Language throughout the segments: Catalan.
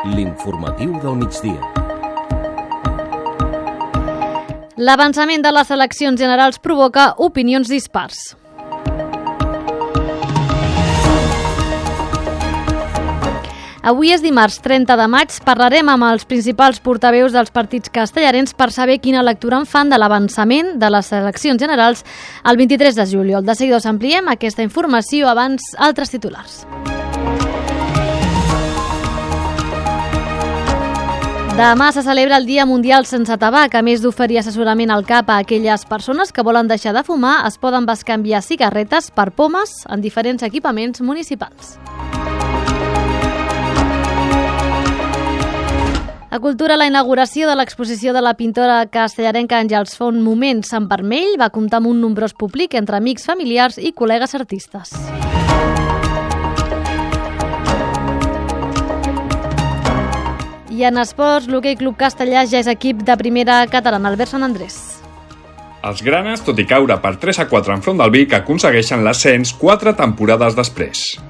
L'informatiu del migdia. L'avançament de les eleccions generals provoca opinions dispars. Avui és dimarts 30 de maig. Parlarem amb els principals portaveus dels partits castellarens per saber quina lectura en fan de l'avançament de les eleccions generals el 23 de juliol. De seguida us ampliem aquesta informació, abans altres titulars. Demà se celebra el Dia Mundial sense tabac. A més d'oferir assessorament al cap a aquelles persones que volen deixar de fumar, es poden bescanviar cigarretes per pomes en diferents equipaments municipals. A Cultura, la inauguració de l'exposició de la pintora castellarenca Àngels Font Moments en Vermell va comptar amb un nombrós públic entre amics, familiars i col·legues artistes. I en esports, l'Hoquei Club Castellà ja és equip de primera catalana, Albert Sant Andrés. Els granes, tot i caure per 3-4 enfront del Vic, aconsegueixen l'ascens 4 temporades després.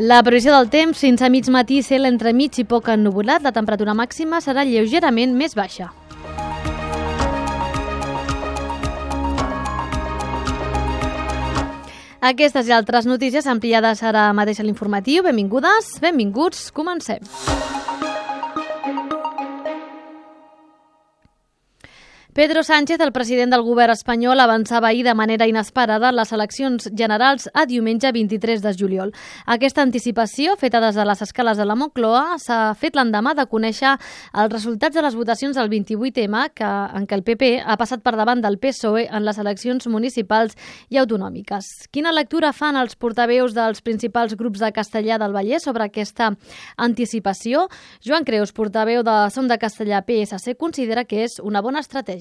La previsió del temps, fins a mig matí, cel entremig i poc ennuvolat. La temperatura màxima serà lleugerament més baixa. Aquestes i altres notícies ampliades ara mateix a l'informatiu. Benvingudes, benvinguts, comencem. Pedro Sánchez, el president del govern espanyol, avançava ahir de manera inesperada les eleccions generals a diumenge 23 de juliol. Aquesta anticipació, feta des de les escales de la Moncloa, s'ha fet l'endemà de conèixer els resultats de les votacions del 28M, en què el PP ha passat per davant del PSOE en les eleccions municipals i autonòmiques. Quina lectura fan els portaveus dels principals grups de Castellà del Vallès sobre aquesta anticipació? Joan Creus, portaveu de Som de Castellà PSC, considera que és una bona estratègia.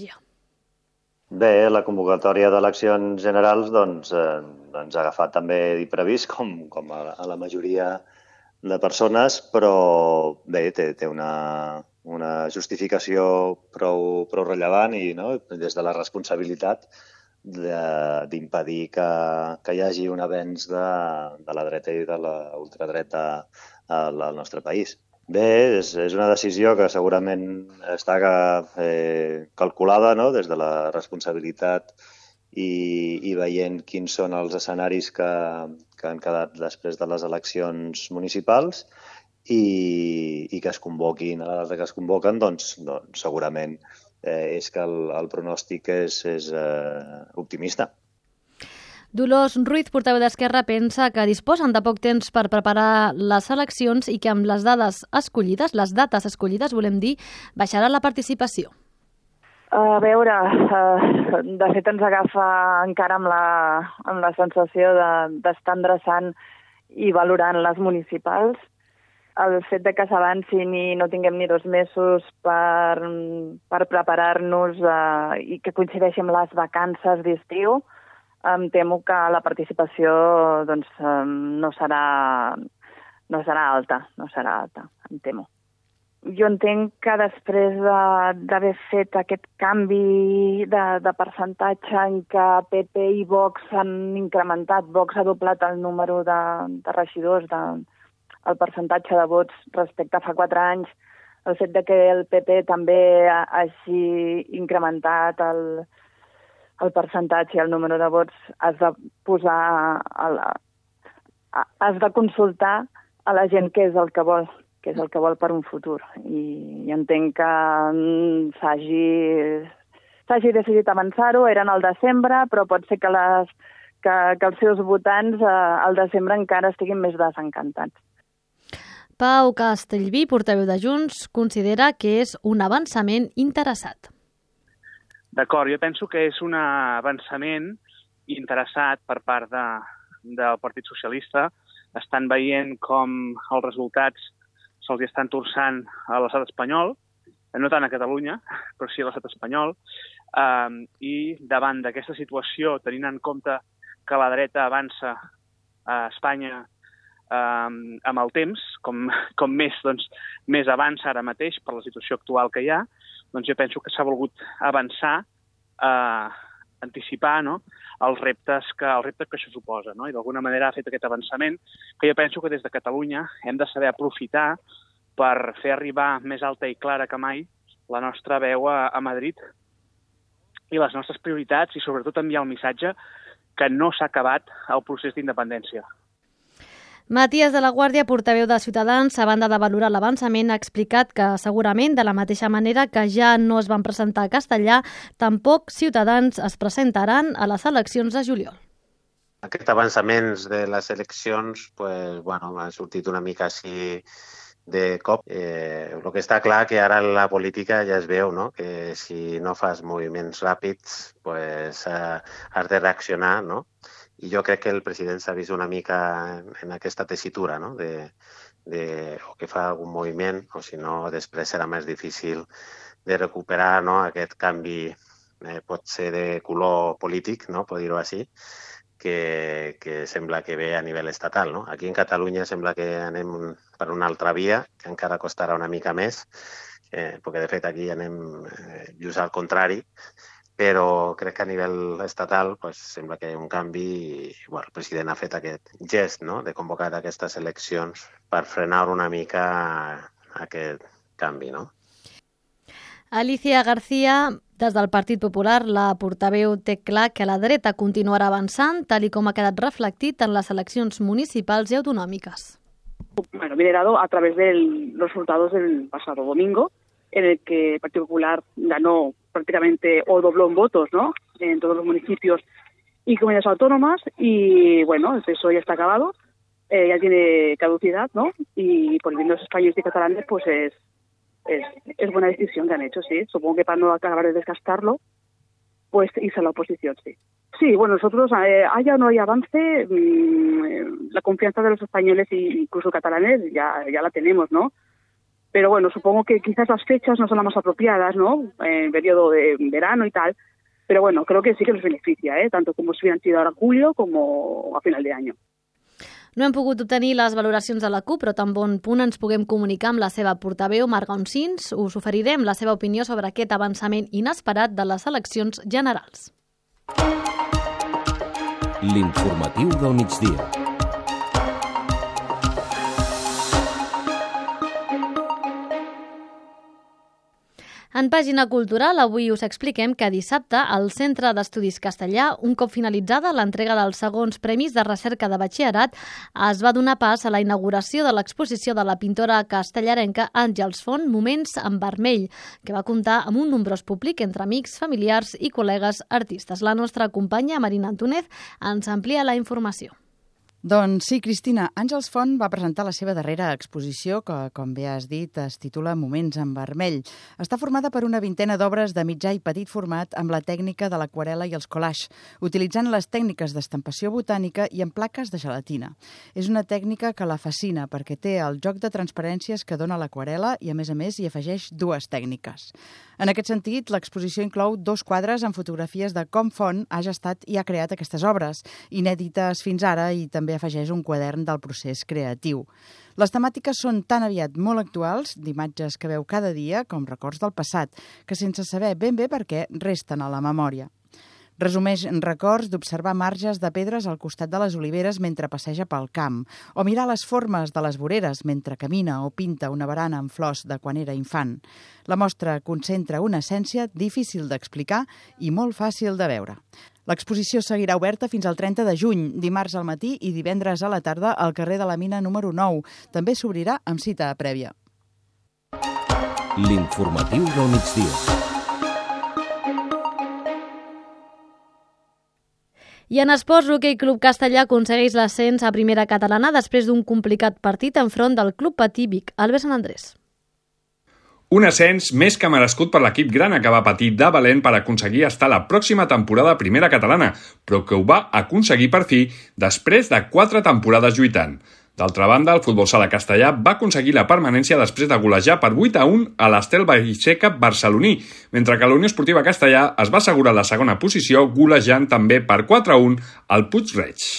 Bé, la convocatòria d'eleccions generals ens ha agafat també d'imprevist, com a la majoria de persones, però bé, té una justificació prou rellevant i des de la responsabilitat d'impedir que hi hagi un avenç de la dreta i de la ultradreta al nostre país. Bé, és una decisió que segurament està calculada des de la responsabilitat i veient quins són els escenaris que han quedat després de les eleccions municipals i que es convoquin a la data que es convoquen, doncs segurament és que el pronòstic és optimista. Dolors Ruiz, portaveu d'Esquerra, pensa que disposen de poc temps per preparar les eleccions i que amb les dates escollides, baixarà la participació. A veure, de fet ens agafa encara amb la sensació d'estar endreçant i valorant les municipals. El fet de que s'avancin i no tinguem ni 2 mesos per preparar-nos i que coincideixi amb les vacances d'estiu, em temo que la participació no serà alta, em temo. Jo entenc que després d'haver fet aquest canvi de percentatge en què PP i Vox han incrementat, Vox ha doblat el número de regidors, el percentatge de vots respecte a fa 4 anys, el fet de que el PP també hagi incrementat el percentatge i el número de vots, has de consultar a la gent què és el que vol per un futur. I entenc que s'hagi decidit avançar-ho, eren al desembre, però pot ser que els seus votants al desembre encara estiguin més desencantats. Pau Castellví, portaveu de Junts, considera que és un avançament interessat. D'acord, jo penso que és un avançament interessat per part del Partit Socialista. Estan veient com els resultats se'ls estan torçant a l'estat espanyol, no tant a Catalunya, però sí a l'estat espanyol, i davant d'aquesta situació, tenint en compte que la dreta avança a Espanya amb el temps, com més avança ara mateix per la situació actual que hi ha, doncs jo penso que s'ha volgut avançar anticipar, no?, els reptes que això suposa, no? I d'alguna manera ha fet aquest avançament que jo penso que des de Catalunya hem de saber aprofitar per fer arribar més alta i clara que mai la nostra veu a Madrid i les nostres prioritats i sobretot enviar el missatge que no s'ha acabat el procés d'independència. Matías de la Guàrdia, portaveu de Ciutadans, a banda de valorar l'avançament, ha explicat que segurament, de la mateixa manera que ja no es van presentar a castellà, tampoc Ciutadans es presentaran a les eleccions de juliol. Aquest avançament de les eleccions ha sortit una mica així de cop. El que està clar que ara la política ja es veu, no?, que si no fas moviments ràpids has de reaccionar, no? I jo crec que el president s'ha vist una mica en aquesta tessitura, no?, o que fa algun moviment, o si no, després serà més difícil de recuperar, no?, aquest canvi, pot ser de color polític, no?, per dir-ho així, que sembla que ve a nivell estatal, no? Aquí en Catalunya sembla que anem per una altra via, que encara costarà una mica més, perquè de fet aquí anem just al contrari, però crec que a nivell estatal sembla que hi ha un canvi i el president ha fet aquest gest, no?, de convocar aquestes eleccions per frenar una mica aquest canvi, no? Alicia García, des del Partit Popular, la portaveu té clar que la dreta continuarà avançant, tal i com ha quedat reflectit en les eleccions municipals i autonòmiques. Bueno, liderado a través de los resultados del pasado domingo, en el que el Partido Popular ganó prácticamente o dobló en votos, ¿no?, en todos los municipios y comunidades autónomas, y bueno, el PSOE ya está acabado, ya tiene caducidad, ¿no?, y por el bien de los españoles y catalanes, pues es buena decisión que han hecho, sí. Supongo que para no acabar de desgastarlo, pues irse a la oposición, sí. Sí, bueno, nosotros, haya o no haya avance, la confianza de los españoles e incluso catalanes ya la tenemos, ¿no? Pero bueno, supongo que quizás las fechas no son las más apropiadas, ¿no?, en periodo de verano y tal, pero bueno, creo que sí que nos beneficia, tanto como si hubieran sido ahora en julio como a final de año. No hem pogut obtenir les valoracions de la CUP, però tan bon punt ens puguem comunicar amb la seva portaveu, Marc Oncins, us oferirem la seva opinió sobre aquest avançament inesperat de les eleccions generals. L'informatiu del migdia. En pàgina cultural, avui us expliquem que dissabte al Centre d'Estudis Castellà, un cop finalitzada l'entrega dels segons premis de recerca de batxillerat, es va donar pas a la inauguració de l'exposició de la pintora castellarenca Àngels Font, Moments en vermell, que va comptar amb un nombrós públic entre amics, familiars i col·legues artistes. La nostra companya, Marina Antúnez, ens amplia la informació. Doncs sí, Cristina, Àngels Font va presentar la seva darrera exposició que, com bé has dit, es titula Moments en vermell. Està formada per una vintena d'obres de mitjà i petit format amb la tècnica de l'aquarela i els collage, utilitzant les tècniques d'estampació botànica i en plaques de gelatina. És una tècnica que la fascina perquè té el joc de transparències que dona l'aquarela i, a més, hi afegeix dues tècniques. En aquest sentit, l'exposició inclou 2 quadres amb fotografies de com Font ha gestat i ha creat aquestes obres, inèdites fins ara, i també afegeix un quadern del procés creatiu. Les temàtiques són tan aviat molt actuals, d'imatges que veu cada dia, com records del passat, que sense saber ben bé per què resten a la memòria. Resumeix records d'observar marges de pedres al costat de les oliveres mentre passeja pel camp, o mirar les formes de les voreres mentre camina o pinta una barana amb flors de quan era infant. La mostra concentra una essència difícil d'explicar i molt fàcil de veure. L'exposició seguirà oberta fins al 30 de juny, dimarts al matí i divendres a la tarda al carrer de la Mina número 9. També s'obrirà amb cita prèvia. L'informatiu del migdia. I en esports, l'Hoquei Club Castellà aconsegueix l'ascens a primera catalana després d'un complicat partit enfront del Club Patí Vic, Albert Sant Andrés. Un ascens més que merescut per l'equip grana que va patir de valent per aconseguir estar la pròxima temporada a primera catalana, però que ho va aconseguir per fi després de 4 temporades lluitant. D'altra banda, el futbol sala castellà va aconseguir la permanència després de golejar per 8-1 a l'Estel Baixeca barceloní, mentre que la Unió Esportiva Castellà es va assegurar la segona posició golejant també per 4-1 al Puig-reig.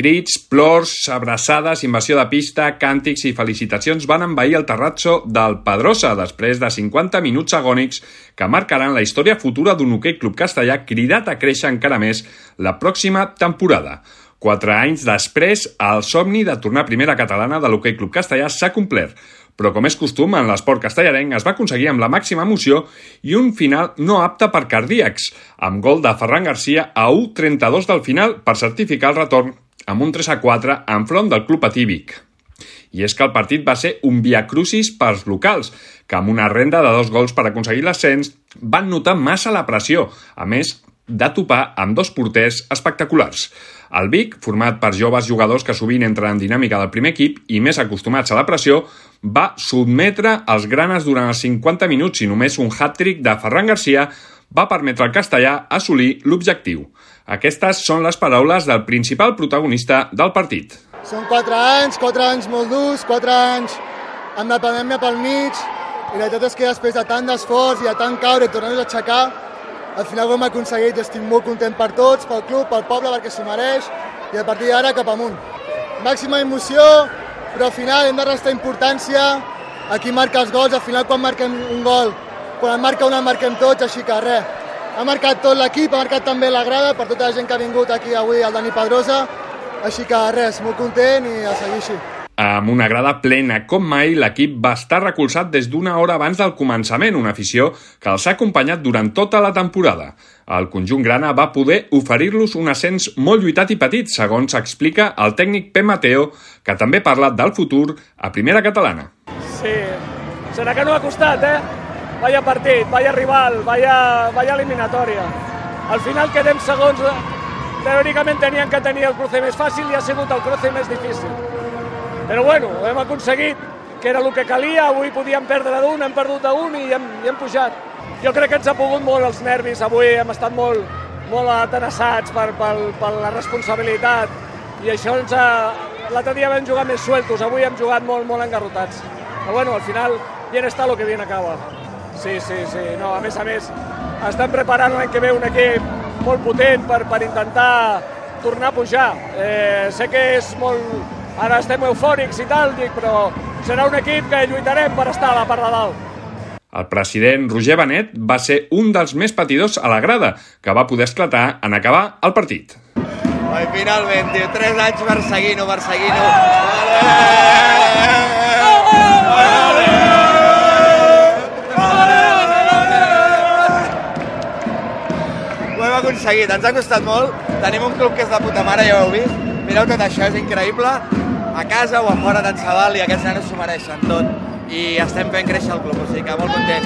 Crits, plors, abraçades, invasió de pista, càntics i felicitacions van envair el terrazzo del Pedrosa després de 50 minuts agònics que marcaran la història futura d'un Hoquei Club Castellà cridat a créixer encara més la pròxima temporada. 4 anys després, el somni de tornar a primera catalana de l'Hoquei Club Castellà s'ha complert, però com és costum en l'esport castellarenc es va aconseguir amb la màxima emoció i un final no apte per cardíacs, amb gol de Ferran Garcia a 1:32 del final per certificar el retorn amb un 3-4 enfront del Club Patí Vic. I és que el partit va ser un viacrucis pels locals, que amb una renda de 2 gols per aconseguir l'ascens van notar massa la pressió, a més de topar amb 2 porters espectaculars. El Vic, format per joves jugadors que sovint entren en dinàmica del primer equip i més acostumats a la pressió, va sotmetre els granes durant els 50 minuts i només un hat-trick de Ferran Garcia va permetre al castellà assolir l'objectiu. Aquestes són les paraules del principal protagonista del partit. Són 4 anys molt durs, 4 anys amb la pandèmia pel mig, i la veritat és que després de tant d'esforç i de tant caure i tornar-nos a aixecar, al final ho hem aconseguit i estic molt content per tots, pel club, pel poble, perquè s'ho mereix, i a partir d'ara cap amunt. Màxima emoció, però al final hem de restar importància a qui marca els gols. Al final quan marquem un gol, quan en marca un en marquem tots, així que res. Ha marcat tot l'equip, ha marcat també la grada, per tota la gent que ha vingut aquí avui al Dani Pedrosa, així que res, molt content i a seguir així. Amb una grada plena com mai, l'equip va estar recolzat des d'una hora abans del començament, una afició que els ha acompanyat durant tota la temporada. El conjunt grana va poder oferir-los un ascens molt lluitat i petit, segons explica el tècnic Pep Mateo, que també parla del futur a primera catalana. Sí, serà que no ha costat, Vaya partit, vaya rival, vaya eliminatòria. Al final quedem segons, teòricament tenien que tenir el cruce més fàcil i ha sigut el cruce més difícil. Però bueno, hem aconseguit, que era el que calia, avui podíem perdre d'un, hem perdut d'un i hem pujat. Jo crec que ens ha pogut molt els nervis, avui hem estat molt atenassats per la responsabilitat i això l'altre dia vam jugar més sueltos, avui hem jugat molt engarrotats. Però bueno, al final, bien está lo que bien acaba. Sí, no, a més, estem preparant l'any que ve un equip molt potent per intentar tornar a pujar. Sé que és molt... Ara estem eufòrics i tal, però serà un equip que lluitarem per estar a la part de dalt. El president Roger Benet va ser un dels més patidors a la grada, que va poder esclatar en acabar el partit. I finalment, 3 anys perseguint-ho. Ho hem aconseguit, ens ha costat molt. Tenim un club que és de puta mare, ja ho heu vist. Mireu tot això, és increïble. A casa o a fora tant se val i aquests nanos s'ho mereixen tot. I estem fent créixer el club, o sigui que molt content.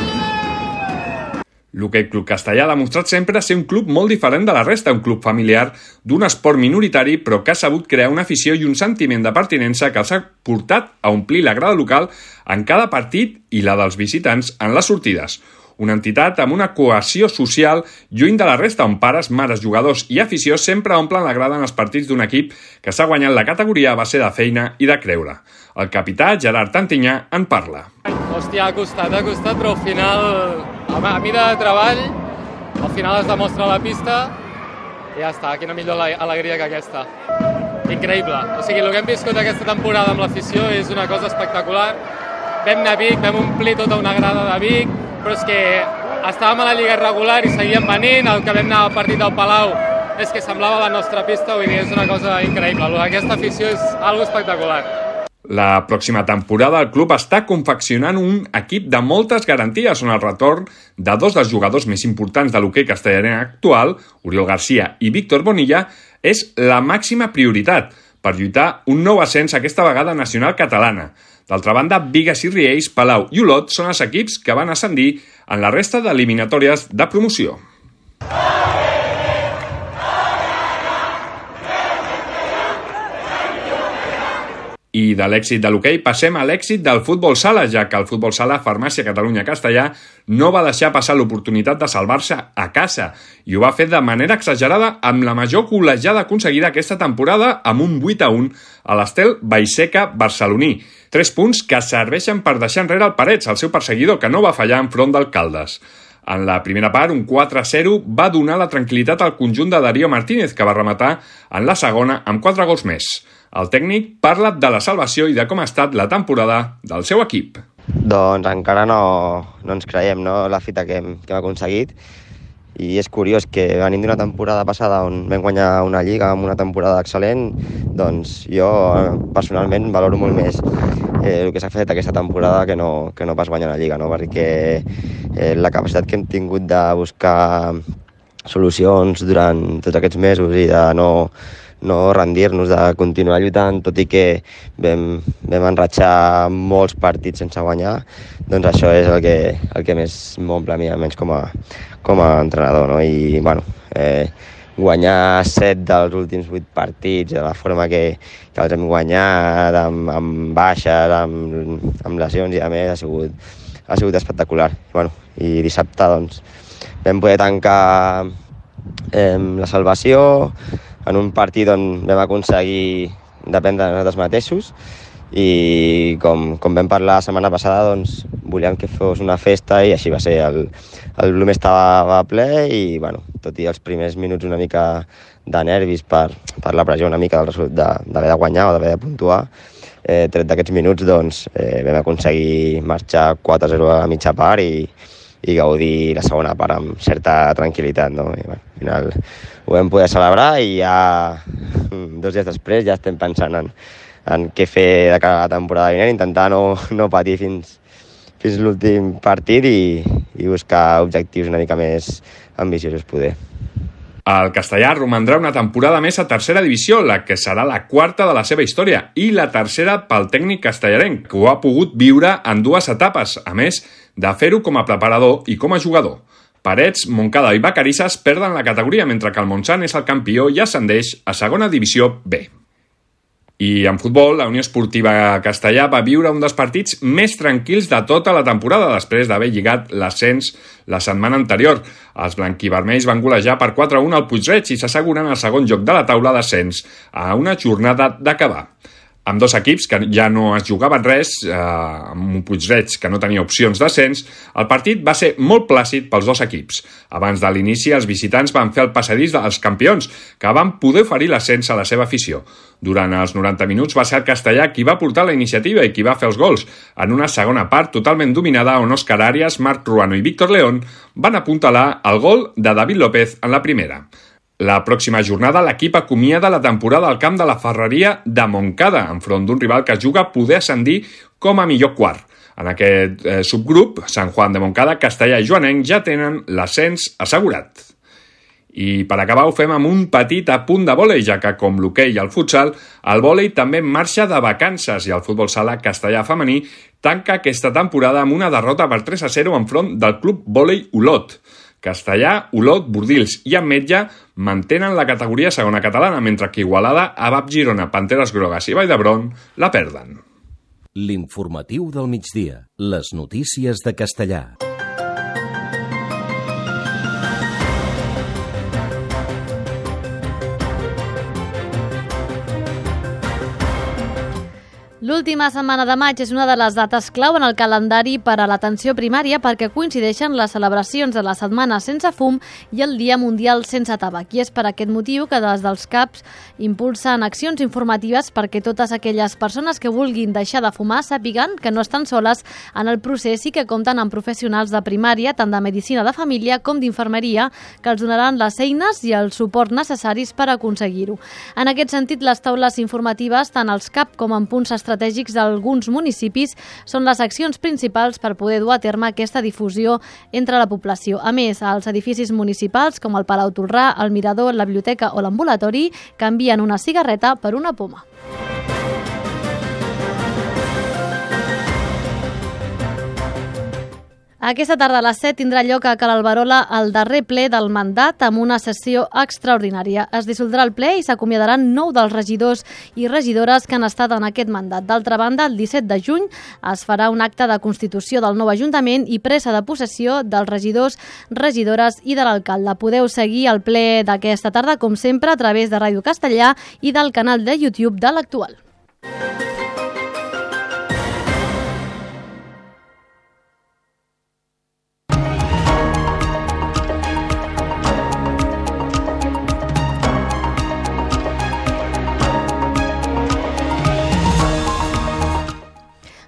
L'Hoquei Club Castellà ha demostrat sempre ser un club molt diferent de la resta, un club familiar d'un esport minoritari, però que ha sabut crear una afició i un sentiment de pertinença que els ha portat a omplir la grada local en cada partit i la dels visitants en les sortides. Una entitat amb una cohesió social lluny de la resta, on pares, mares, jugadors i afició sempre omplen la grada en els partits d'un equip que s'ha guanyat la categoria a base de feina i de creure. El capità Gerard Tantinyà en parla. Hòstia, ha costat, però al final, a mida de treball, al final es demostra a la pista i ja està, quina millor alegria que aquesta. Increïble. O sigui, el que hem viscut aquesta temporada amb l'afició és una cosa espectacular. Vam anar a Vic, vam omplir tota una grada de Vic, però és que estàvem a la Lliga regular i seguíem venint, el que vam anar al partit del Palau és que semblava la nostra pista, vull dir, és una cosa increïble. Aquesta afició és algo espectacular. La pròxima temporada el club està confeccionant un equip de moltes garanties on el retorn de 2 dels jugadors més importants de l'hoquei castellarenc actual, Oriol Garcia i Víctor Bonilla, és la màxima prioritat per lluitar un nou ascens aquesta vegada nacional catalana. D'altra banda, Bigues i Riells, Palau i Olot són els equips que van ascendir en la resta d'eliminatòries de promoció. I de l'èxit de l'hoquei passem a l'èxit del futbol sala, ja que el futbol sala Farmàcia Catalunya Castellà no va deixar passar l'oportunitat de salvar-se a casa i ho va fer de manera exagerada amb la major col·legiada aconseguida aquesta temporada amb un 8-1 a l'Estel Vallseca barceloní. 3 punts que serveixen per deixar enrere el Parets, el seu perseguidor, que no va fallar enfront del Caldes. En la primera part, un 4-0 va donar la tranquil·litat al conjunt de Darío Martínez, que va rematar en la segona amb 4 gols més. El tècnic parla de la salvació i de com ha estat la temporada del seu equip. Doncs encara no ens creiem, no?, la fita que hem aconseguit. I és curiós que venim d'una temporada passada on vam guanyar una lliga amb una temporada excel·lent, doncs jo personalment valoro molt més el que s'ha fet aquesta temporada que no pas guanyar la lliga, no? Perquè la capacitat que hem tingut de buscar solucions durant tots aquests mesos i de no rendir-nos, de continuar lluitant, tot i que vam enratxar molts partits sense guanyar, doncs això és el que més m'omple a mi, almenys com a entrenador, no? I, bueno, guanyar 7 dels últims 8 partits de la forma que els hem guanyat, amb baixes, amb lesions i a més, ha sigut espectacular. Bueno, i dissabte doncs, vam poder tancar la salvació en un partit on vam aconseguir dependre de nosaltres mateixos i com vam parlar la setmana passada, doncs volíem que fos una festa i així va ser. El Blume estava ple i, bueno, tot i els primers minuts una mica de nervis per la pressió una mica d'haver de guanyar o d'haver de puntuar, tret d'aquests minuts doncs, vam aconseguir marxar 4-0 a la mitja part i gaudir la segona part amb certa tranquil·litat, no? I, bueno, al final ho vam poder celebrar i ja 2 dies després ja estem pensant en què fer de cara a la temporada vinent, intentar no patir fins l'últim partit i buscar objectius una mica més ambiciosos poder. El Castellà romandrà una temporada més a tercera divisió, la que serà la 4ª de la seva història i la tercera pel tècnic castellarenc, que ho ha pogut viure en 2 etapes, a més de fer-ho com a preparador i com a jugador. Parets, Montcada i Vacarisses perden la categoria, mentre que el Montsant és el campió i ascendeix a segona divisió B. I en futbol, la Unió Esportiva Castellà va viure un dels partits més tranquils de tota la temporada després d'haver lligat l'ascens la setmana anterior. Els blanquivermells van golejar per 4-1 al Puig-reig i s'asseguren el segon lloc de la taula d'ascens a una jornada d'acabar. Amb 2 equips que ja no es jugaven res, amb un Puig-reig que no tenia opcions d'ascens, el partit va ser molt plàcid pels 2 equips. Abans de l'inici, els visitants van fer el passadís dels campions, que van poder oferir l'ascens a la seva afició. Durant els 90 minuts va ser el Castellà qui va portar la iniciativa i qui va fer els gols, en una segona part totalment dominada on Òscar Arias, Marc Ruano i Víctor León van apuntalar el gol de David López en la primera. La pròxima jornada l'equip acomiada la temporada al camp de la Ferreria de Montcada, enfront d'un rival que juga a poder ascendir com a millor quart. En aquest subgrup, Sant Juan de Montcada, Castellà i Joanenc ja tenen l'ascens assegurat. I per acabar ho fem amb un petit apunt de vòlei, ja que com l'hoquei i el futsal, el vòlei també marxa de vacances i el futbol sala castellà femení tanca aquesta temporada amb una derrota per 3-0 enfront del club vòlei Olot. Castellà, Olot, Bordils i Ametlla mantenen la categoria segona catalana, mentre que Igualada, Abab Girona, Panteres Grogues i Vall d'Hebron la perden. L'informatiu del migdia. Les notícies de Castellà. L'última setmana de maig és una de les dates clau en el calendari per a l'atenció primària perquè coincideixen les celebracions de la Setmana Sense Fum i el Dia Mundial Sense Tabac. I és per aquest motiu que des dels CAPs impulsen accions informatives perquè totes aquelles persones que vulguin deixar de fumar sàpiguen que no estan soles en el procés i que compten amb professionals de primària, tant de medicina de família com d'infermeria, que els donaran les eines i el suport necessaris per aconseguir-ho. En aquest sentit, les taules informatives, tant als CAP com en punts estratègics d'alguns municipis, són les accions principals per poder dur a terme aquesta difusió entre la població. A més, als edificis municipals, com el Palau Tolrà, el Mirador, la biblioteca o l'ambulatori, canvien una cigarreta per una poma. Aquesta tarda a les 7 tindrà lloc a Cal Alberola el darrer ple del mandat amb una sessió extraordinària. Es dissoldrà el ple i s'acomiadaran 9 dels regidors i regidores que han estat en aquest mandat. D'altra banda, el 17 de juny es farà un acte de constitució del nou Ajuntament i presa de possessió dels regidors, regidores i de l'alcalde. Podeu seguir el ple d'aquesta tarda, com sempre, a través de Ràdio Castellà i del canal de YouTube de l'Actual.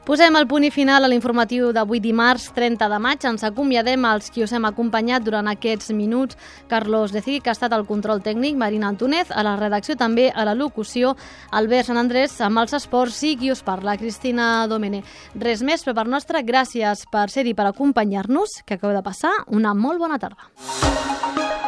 Posem el punt i final a l'informatiu d'avui dimarts 30 de maig. Ens acomiadem als qui us hem acompanyat durant aquests minuts. Carlos Decí, que ha estat al control tècnic, Marina Antúnez, a la redacció també, a la locució, Albert Sant Andrés, amb els esports, i qui us parla, Cristina Domene. Res més per part nostra, gràcies per ser-hi, per acompanyar-nos, que acabeu de passar una molt bona tarda.